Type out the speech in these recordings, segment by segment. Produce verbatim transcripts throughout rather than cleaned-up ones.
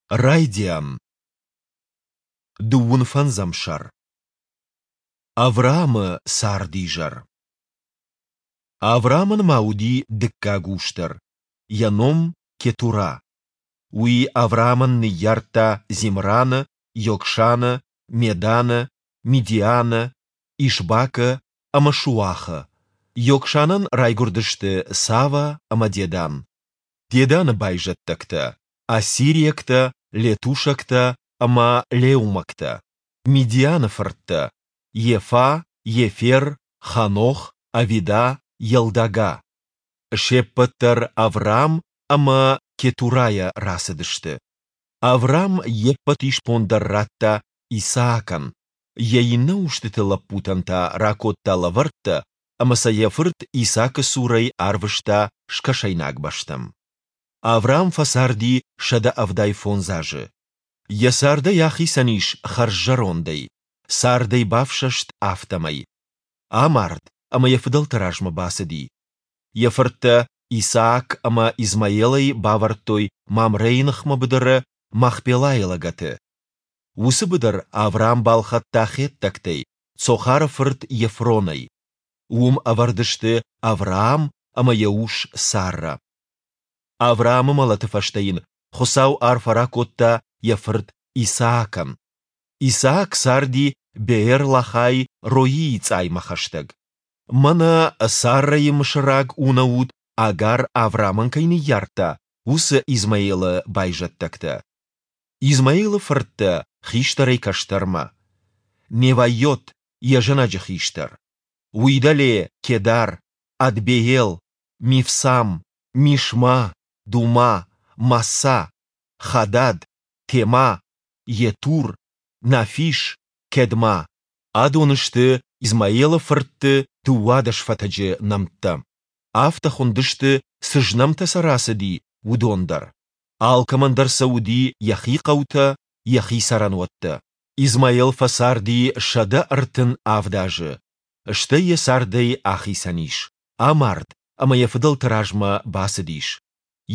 Райдиан. Дыууын фӕндзӕм сӕр. Авраамы цардизӕр. Авраамӕн ма уыди дыккаг ус дӕр, йӕ ном Кетурӕ. Уый Авраамӕн ныййардта Зимраны, Йокшаны, Меданы, Мидианы, Ишбакы ӕмӕ Шуахы. Йокшанӕн райгуырдысты Сава ӕмӕ Дедан. Деданы байзӕддӕгтӕ: ассириӕгтӕ, летушӕгтӕ ӕмӕ леумӕгтӕ. Мидианы фырттӕ: Ефа, Ефер, Ханох, Авида, Елдага. Се ппӕт дӕр Авраам ӕмӕ Кетурайӕ рацыдысты. Авраам йе ппӕт исбон дӕр радта Исаакӕн, йӕ иннӕ устыты лӕппутӕн та ракодта лӕвӕрттӕ ӕмӕ сӕ йӕ фырт Исаакы цурӕй арвыста скӕсӕйнаг бӕстӕм. Авраам фӕцарди сӕдӕ ӕвдай фондз азы. Йӕ цардӕй ахицӕн ис хӕрззӕрондӕй, цардӕй бафсӕст, афтӕмӕй. Амард ӕмӕ йӕ фыдӕлты размӕ бацыди. Йӕ фырттӕ Исаак ӕмӕ Измаил ӕй бавӕрдтой Мамрейы ныхмӕ быдыры, Махпелайы лӕгӕты. Уыцы быдыр Авраам балхӕдта хеттӕгтӕй, Цохары фырт Ефронӕй. Уым ӕвӕрд сты Авраам ӕмӕ йӕ ус Саррӕ. Авраамы мӕлӕты фӕстӕ йын Хуыцау арфӕ ракодта йӕ фырт Исаакӕн. Исаак царди Беэр-Лахай-Роийы цъаймӕ хӕстӕг. Мӕнӕ Саррӕйы мысыраг унӕут Агар Авраамӕн кӕй ныййардта, уыцы Измаилы байзӕддӕгтӕ. Измаилы фырттӕ хистӕрӕй кӕстӕрмӕ: Невайот, йӕ зӕнӕджы хистӕр. Уый дӕле Кедар, Адбеел, Мивсам, Мишма, Дума, Массӕ, Хадад, Тема, Йетур, Нафиш, Кедма. Адон сты Измаилы фыртты дыууадӕс фӕтӕджы нӕмттӕ. Афтӕ хуындысты, цы знӕмтӕ сӕ рацыди, уыдон дӕр. Алкӕмӕн дӕр сӕ уыди йӕхи хъӕутӕ, йӕхи цӕрӕнуӕттӕ. Измаил фӕцарди сӕдӕ ӕртын авд азы, стӕй йӕ цардӕй ахицӕн ис, амард ӕмӕ йӕ фыдӕлты размӕ бацыдис.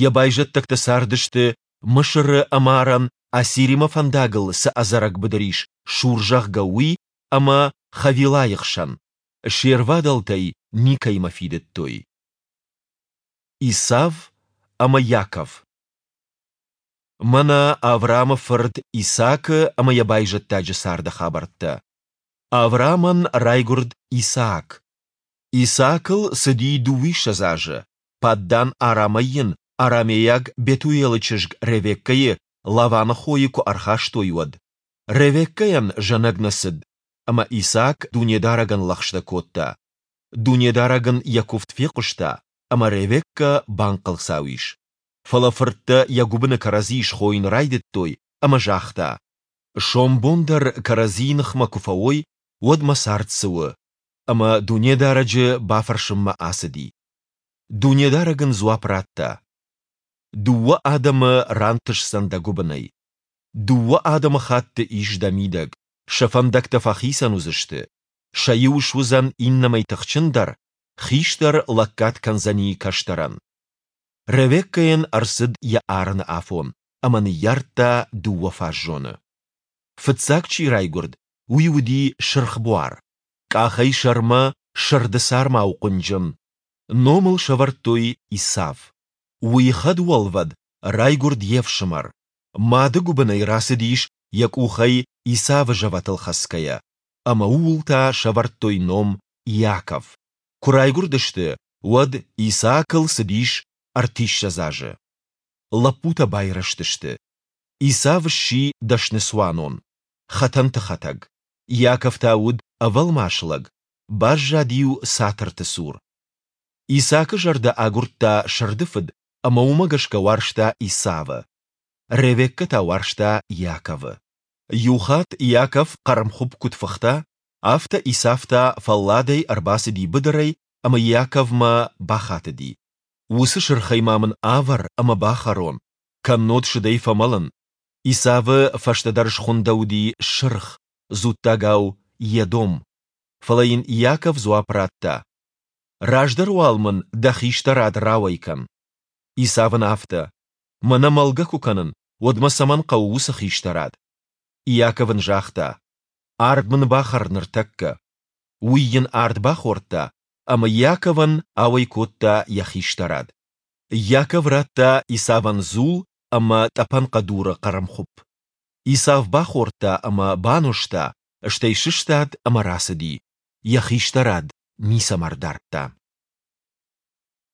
Йӕ байзӕддӕгтӕ цардысты, Мысыры ӕмарӕн Ассиримӕ фӕндагыл цы ӕдзӕрӕг быдыр ис, Шур, зӕгъгӕ, уый ӕмӕ Хавилайы хсӕн. Се рвадӕлтӕй никӕимӕ фидыдтой. Исав ӕмӕ Иаков. Мӕнӕ Авраамы фырт Исаакы ӕмӕ йӕ байзӕддаджы царды хабӕрттӕ. Авраамӕн райгуырд Исаак. Исаакыл цыди дыууиссӕдз азы, Паддан-Арамӕй йын арамейаг Бетуелы чызг Ревеккӕйы, Лаваны хойы, куы ӕрхастой, уӕд. Ревеккӕйӕн зӕнӕг нӕ цыд, ӕмӕ Исаак Дунедарӕгӕн лӕгъстӕ кодта. Дунедарӕг ын йӕ куывд фехъуыста, ӕмӕ Ревеккӕ банхъӕлцау ис. Фӕлӕ фырттӕ йӕ гуыбыны кӕрӕдзийы схойын райдыдтой, ӕмӕ загъта: Сомбон дӕр кӕрӕдзийы ныхмӕ куы фӕуой, уӕд мӕ цард цы у? Ӕмӕ Дунедарӕджы бафӕрсынмӕ ацыди. Дунедарӕг ын дзуапп радта: Дыууӕ адӕмы рантысдзӕн дӕ гуыбынӕй. Дыууӕ адӕмыхатты ис дӕ мидӕг, сӕ фӕндӕгтӕ фӕхицӕн уыдзысты. Сӕ иу суыдзӕн иннӕмӕй тыхджындӕр, хистӕр лӕггад кӕндзӕни кӕстӕрӕн. Ревеккӕйӕн ӕрцыд йӕ арыны афон, ӕмӕ ныййардта дыууӕ фаззоны. Фыццаг чи райгуырд, уый уыди сырхбуар, къахӕй сӕрмӕ сырды цармау хъуынджын. Ном ыл сӕвӕрдтой Исав. Уый хӕдуӕлвӕд райгуырд йе фсымӕр. Мады гуыбынӕй рацыдис йӕ къухӕй Исавы зӕвӕтыл хӕцгӕйӕ, ӕмӕ ууыл та сӕвӕрдтой ном Иаков. Куы райгуырдысты, уӕд Исаакыл цыдис ӕртиссӕдз азы. Лӕппутӕ байрӕзтысты. Исав сси дӕсны цуанон, хӕтӕнты хӕтӕг. Иаков та уыд ӕвӕлмас лӕг, баззад-иу цатырты цур. Исаакы зӕрдӕ агуырдта сырды фыд ӕмӕ уымӕ гӕсгӕ уарзта Исавы. Ревеккӕ та уарзта Иаковы. Иухатт Иаков хъӕрмхуыпп куыд фыхта, афтӕ Исав та фӕлладӕй ӕрбацыди быдырӕй ӕмӕ Иаковмӕ бахатыди: Уыцы сырхӕй ма мын авӕр ӕмӕ бахӕрон, кӕннод сыдӕй фӕмӕлын. Исавы фӕстӕдӕр схуындӕуыди Сырх, дзуттагау Едом. Фӕлӕ йын Иаков дзуапп радта: Раздӕр уал мын дӕ хистӕрад рауӕй кӕн. Исав ын афтӕ: Мӕнӕ мӕлгӕ куы кӕнын, Уӕд мӕ цӕмӕн хъӕуы уыцы хистӕрад? Иаков ын загъта, Ард мын бахӕр ныртӕккӕ. Уый йын ард бахордта ӕмӕ Иаковӕн ауӕй кодта йӕ хистӕрад. Иаков радта Исавӕн дзул ӕмӕ тъӕпӕн хъӕдуры хъӕрмхуыпп. Исав бахордта ӕмӕ банозта, стӕй сыстад ӕмӕ рацыди, йӕ хистӕрад ницӕмӕ ӕрдардта.